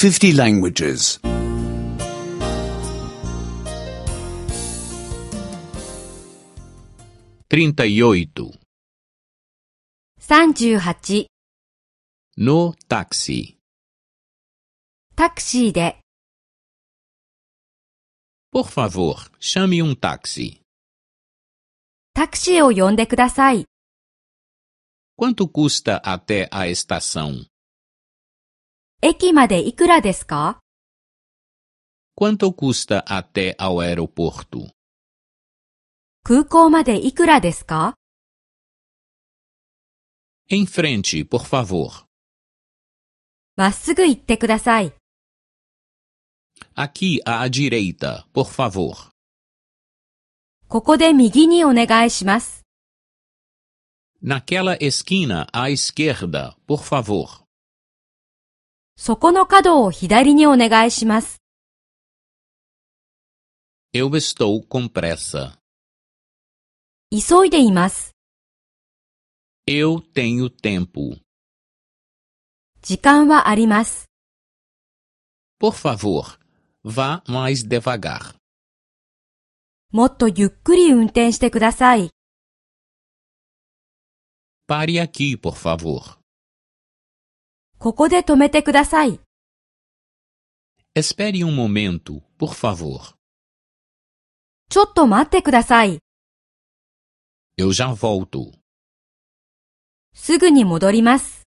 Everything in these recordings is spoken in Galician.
50 languages. 38. 38. No táxi. タクシーで。Por favor, chame táxi. タクシーを呼んでください。Quanto custa até a estação? 駅までいくらですか？ Quanto custa até ao aeroporto? 空港までいくらですか？ Em frente, por favor. まっすぐ行ってください。Aqui à direita, por favor. ここで右にお願いします。Naquela esquina à esquerda, por favor. そこの角を左にお願いします。Eu estou com pressa. 急いでいます。Eu tenho tempo. 時間はあります。Por favor, vá mais devagar. もっとゆっくり運転してください。Pare aqui, por favor. ここで止めてください。Espere momento, por favor. ちょっと待ってください。Eu já volto. すぐに戻ります。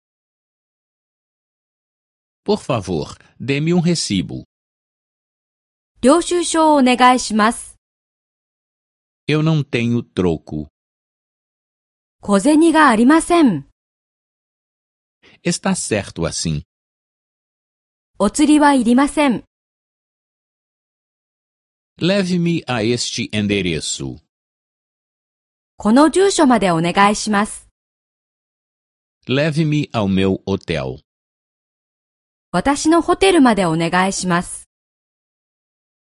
Por favor, dê-me recibo. 領収書をお願いします。Eu não tenho troco. 小銭がありません。Está certo assim. お釣りはいりません。Leve-me a este endereço. この住所までお願いします。Leve-me ao meu hotel. 私のホテルまでお願いします。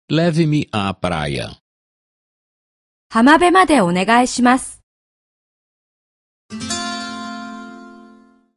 Leve-me à praia. 浜辺までお願いします。